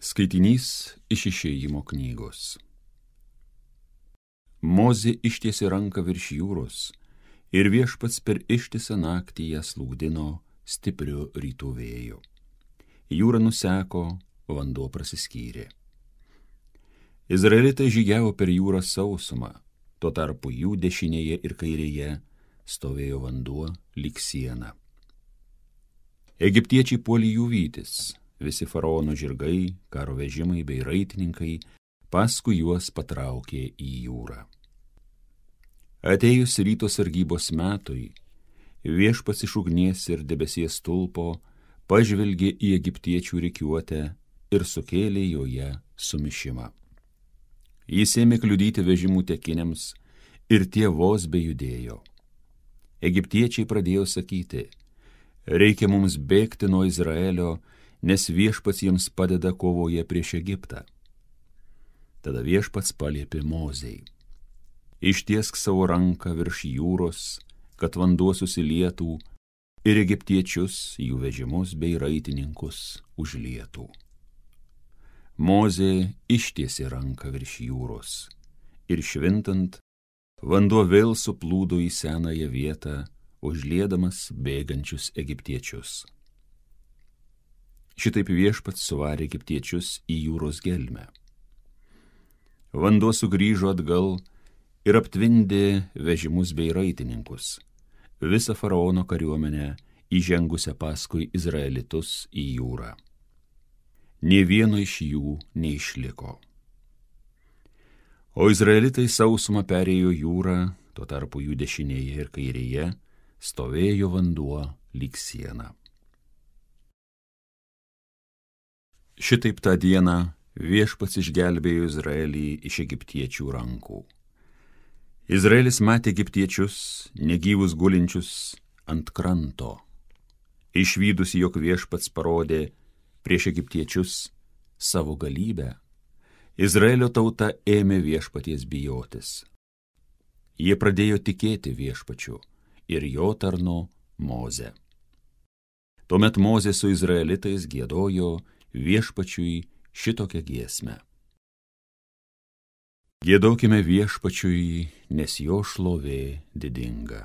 Skaitinys iš Išėjimo knygos. Mozė ištiesė ranką virš jūros, ir Viešpats per ištisą naktį ją slūgdino stipriu rytų vėju. Jūra nuseko, vanduo prasiskyrė. Izraelitai žygiavo per jūrą sausumą, tuo tarpu jų dešinėje ir kairėje stovėjo vanduo lyg siena. Egiptiečiai puolė jų vytis. Visi faraono žirgai, karo vežimai bei raitininkai paskui juos patraukė į jūrą. Atėjus ryto sargybos metui, Viešpats iš ugnies ir debesies stulpo pažvelgė į egiptiečių rikiuotę ir sukėlė joje sumišimą. Jis ėmė kliudyti vežimų tekiniams ir tie vos bejudėjo. Egiptiečiai pradėjo sakyti: reikia mums bėgti nuo Izraelio, nes Viešpats jiems padeda kovoje prieš Egiptą. Tada Viešpats paliepė Mozei: ištiesk savo ranką virš jūros, kad vanduo susilietų ir egiptiečius, jų vežimus bei raitininkus užlietų. Mozė ištiesė ranką virš jūros ir švintant, vanduo vėl suplūdo į senąją vietą, užliedamas bėgančius egiptiečius. Šitaip Viešpats suvarė egiptiečius į jūros gelmę. Vanduo sugrįžo atgal ir aptvindė vežimus bei raitininkus, visą faraono kariuomenę įžengusią paskui izraelitus į jūrą. Nė vieno iš jų neišliko. O izraelitai sausumą perėjo jūrą, tuo tarpu jų dešinėje ir kairėje stovėjo vanduo lyg siena. Šitaip tą dieną Viešpats išgelbėjo Izraelį iš egiptiečių rankų. Izraelis matė egiptiečius, negyvus gulinčius ant kranto. Išvydusi, jog Viešpats parodė prieš egiptiečius savo galybę, Izraelio tauta ėmė Viešpaties bijotis. Jie pradėjo tikėti Viešpačiu ir jo tarnu Moze. Tuomet Mozė su izraelitais giedojo Viešpačiui šitokią giesmę. Giedokime Viešpačiui, nes jo šlovė didinga.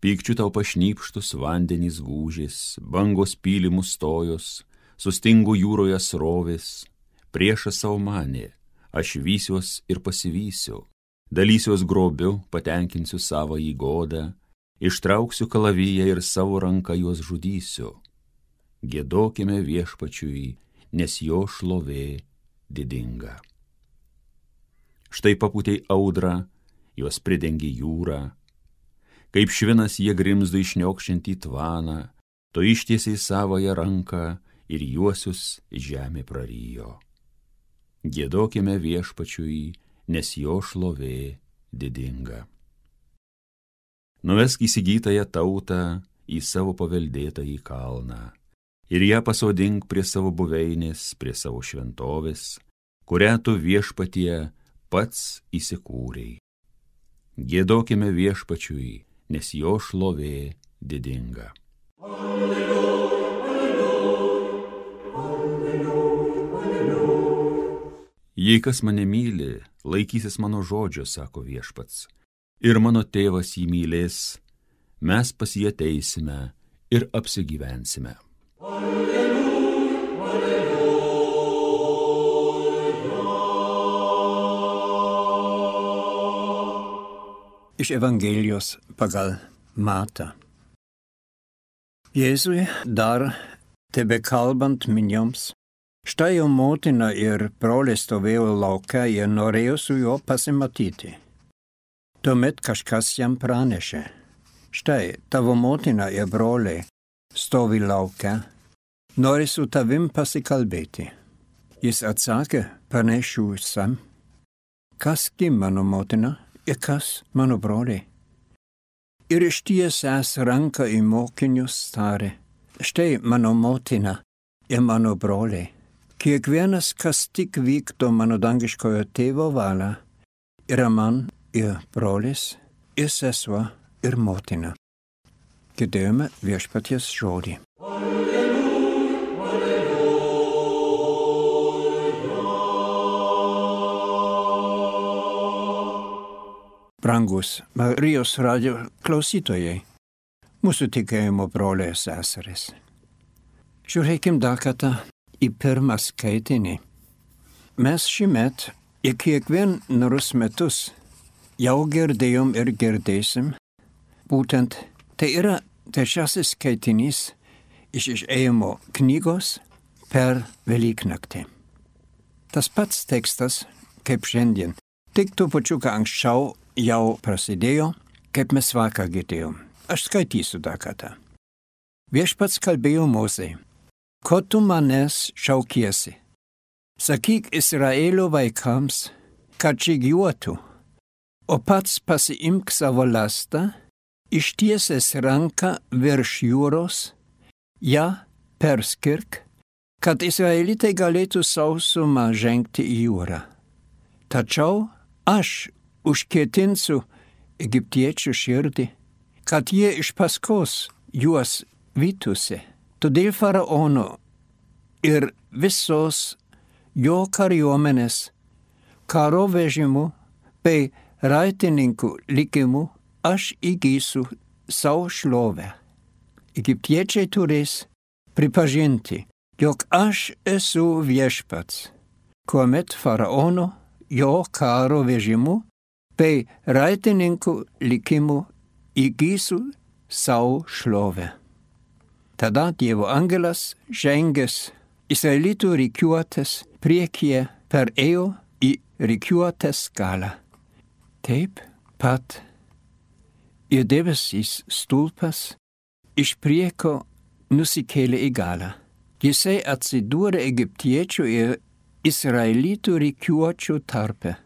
Pykčiu tau pašnypštus vandenys gūžės, bangos pylimus stojos, sustingo jūroje srovės, priešas savo manė, aš vysiuos ir pasivysiu, dalysiuos grobiu, patenkinsiu savo įgodą, ištrauksiu kalaviją ir savo ranką juos žudysiu. Giedokime Viešpačiui, nes jo šlovė didinga. Štai papūtei audrą, juos pridengė jūra, kaip švinas jie grimzdo išniokščiantį tvaną, to ištiesiai savąją ranką ir juosius žemė prarijo. Giedokime Viešpačiui, nes jo šlovė didinga. Nuvesk įsigytąją tautą į savo paveldėtąjį kalną ir ją pasodink prie savo buveinės, prie savo šventovės, kurią tu Viešpatie pats įsikūrei. Giedokime Viešpačiui, nes jo šlovė didinga. Alleluja, alleluja, alleluja, alleluja. Jei kas mane myli, laikysis mano žodžio, sako Viešpats, ir mano tėvas jį mylės, mes pas jį ateisime ir apsigyvensime. Alleluja, alleluja. Iš Evangelijos pagal Matą. Jėzui dar tebekalbant minioms, štai jo motina ir broliai stovėjo lauke ir norėjo su juo pasimatyti. Tuomet kažkas jam pranešė: štai tavo motina ir broliai stovi lauke, nori su tavim pasikalbėti. Jis atsakė pranešusiam: kasgi mano motina ir kas mano broliai? Ir ištiesęs ranką į mokinius tarė: štai mano motina ir mano broliai. Kiekvienas, kas tik vykdo mano dangiškojo tėvo valią, yra man ir brolis, ir sesuo, ir motina. Girdėjome Viešpaties žodį. Alleluja, alleluja. brangus Marijos radio klausytojai, mūsų tikėjimo broliai ir seserys. Žiūrėkim dar kartą į pirmą skaitinį. Mes šįmet į kiekvienus metus jau girdėjom ir girdėsim, būtent tai yra trečiasis skaitinys iš Išėjimo knygos per Velyknaktį. Tas pats tekstas, kaip šiandien, tik trupučiuką anksčiau jau prasidėjo, kaip mes vakar girdėjom. Aš skaitysiu dar kartą. Viešpats kalbėjo Mozei, ko tu manęs šaukiesi? Sakyk Izraelio vaikams, kad žygiuotų, o pats pasiimk savo lastą, ištiesęs ranką virš jūros, ją perskirk, kad izraelitai galėtų sausumą žengti į jūrą. Tačiau aš užkietinsiu egiptiečių širdį, kad jie iš paskos juos vytųsi. Todėl faraono ir visos jo kariuomenės, karo vežimų bei raitininkų likimų aš įgysiu savo šlovę. Egiptiečiai turės pripažinti, jog aš esu viešpats, kuomet faraono, jo karo vežimų bei raitininkų likimų įgysiu savo šlovę. Tada Dievo angelas žengęs izraelitų rikiuotės priekyje perėjo į rikiuotės galą. Taip pat ir debesys stulpas iš prieko nusikėlė į galą. Jisai atsidūrė egiptiečių ir izraelitų rikiuočių tarpe.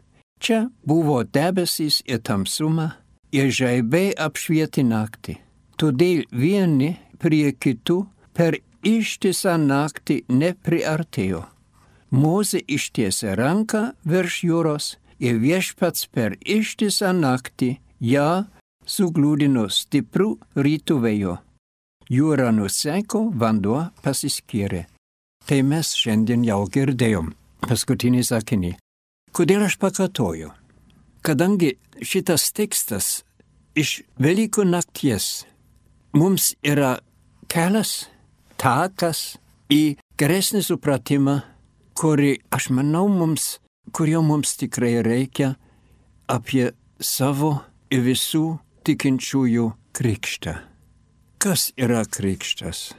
Čia buvo debesys ir tamsuma, ir žaibai apšvietė naktį. Todėl vieni prie kitų per ištisą naktį nepriartėjo. Mozė ištiesė ranką virš jūros ir viešpats per ištisą naktį ją suglūdino stiprų rytų vėjo. Jūra nuseko, vanduo pasiskyrė. Tai mes šiandien jau girdėjom. Paskutinį sakinį. Kodėl aš pakartoju? Kadangi šitas tekstas iš Velykų nakties mums yra kelias, takas į geresnį supratimą, kurio mums tikrai reikia apie savo ir visų tikinčiųjų krikštą. Kas yra krikštas?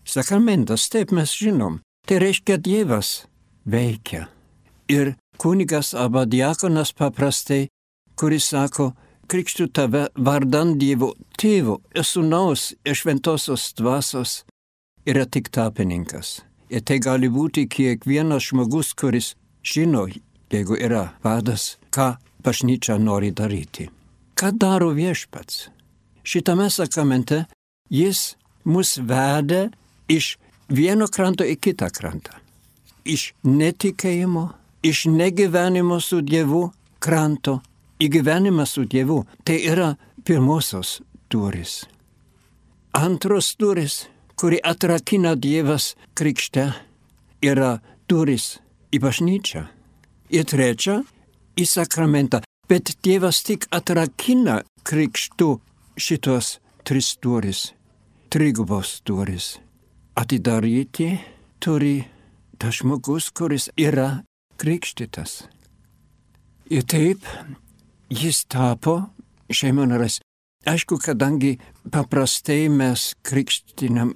Sakramentas, taip mes žinom, tai reiškia Dievas veikia. Ir kunigas arba diakonas paprastai, kuris sako, krikštu tave vardan Dievo Tėvo ir Sūnaus ir Šventosios Dvasios, yra tik tarpininkas. Ir tai gali būti kiekvienas žmogus, kuris žino, jeigu yra vadas, ką bažnyčia nori daryti. Ką daro viešpats? Šitame sakramente jis mus veda iš vieno kranto į kitą krantą. Iš netikėjimo, iš negyvenimo su Dievu kranto į gyvenimą su Dievu. Tai yra pirmosios durys. Antros durys, kuri atrakina Dievas krikšte, yra durys į bažnyčią. Ir trečia, į sakramentą. Bet Dievas tik atrakina krikštu šitos tris durys, trigubos durys. Atidaryti turi tas žmogus, kuris yra krikštytas. Ir taip jis tapo šeimos narys. Aišku, kadangi paprastai mes krikštinam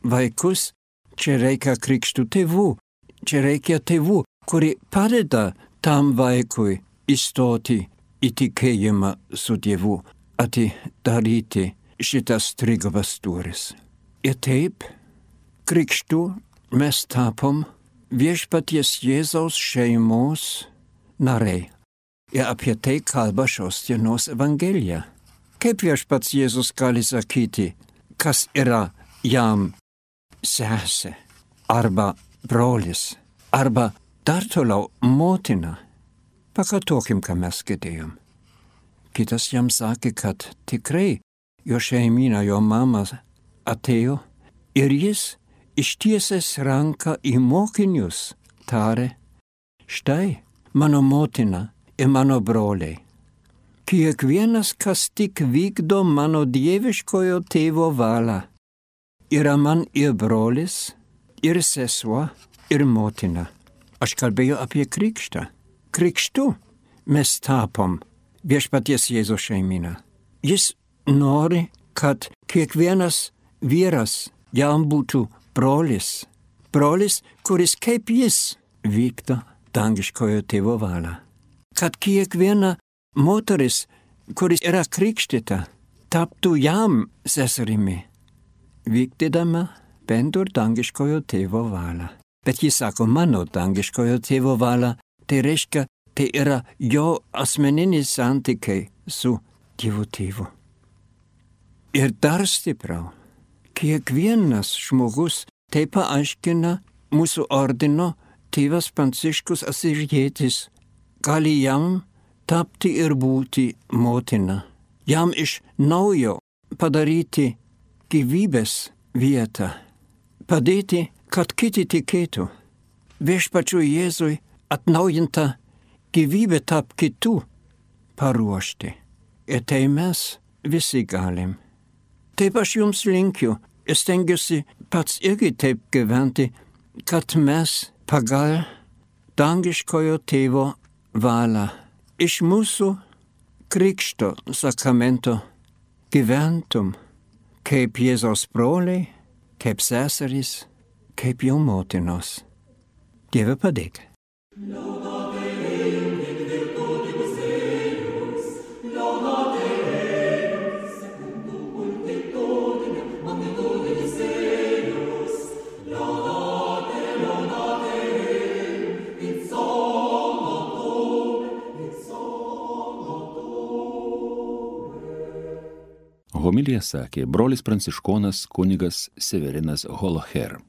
vaikus, čia reikia krikštų tėvų. Čia reikia tėvų, kurie padeda tam vaikui įstoti į tikėjimą su Dievu, atidaryti šitas trigubas duris. Ir taip, krikštų mes tapom viešpaties Jėzaus šeimos nariai. Ir apie tai kalba šios dienos Evangelija. Kaip viešpats Jėzus gali sakyti, kas yra jam sesė, arba brolis, arba dar toliau motina. Pakartokim, ką mes girdėjom. Kitas jam sakė, kad tikrai jo šeimyna, jo mama atėjo ir jis ištiesęs ranką į mokinius tarė, štai mano motina ir mano broliai. Kiekvienas, kas tik vykdo mano dieviškojo tėvo valią, yra man ir brolis, ir sesuo, ir motina. Aš kalbėjau apie krikštą. Krikštu mes tapom viešpaties Jėzaus šeimyną. Jis nori, kad kiekvienas vyras jam būtų brolis. Brolis, kuris kaip jis vykdo dangiškojo tėvo valią. Kad kiekviena moteris, kuris yra krikštyta, taptų jam seserimi, vykdydama bendro dangiškojo tėvo valią. Bet jis sako, mano dangiškojo tėvo valią, tai reiškia, tai yra jo asmeninis santykiai su Dievo tėvu. Ir dar stipriau, kiekvienas žmogus tai paaiškina mūsų ordino tėvas Pranciškus Asyžietis, gali jam tapti ir būti motina, jam iš naujo padaryti gyvybės vietą, padėti, kad kiti tikėtų. Viešpačiui Jėzui atnaujinta gyvybė tarp kitų paruošti. Ir tai mes visi galim. Taip aš jums linkiu ir stengiuosi pats irgi taip gyventi, kad mes pagal dangiškojo tėvo valią iš mūsų krikšto sakramento gyventum kaip Jėzaus broliai, kaip seserys, kaip jo motinos. Dieve padėk. Homiliją sakė brolis pranciškonas kunigas Severinas Holoher.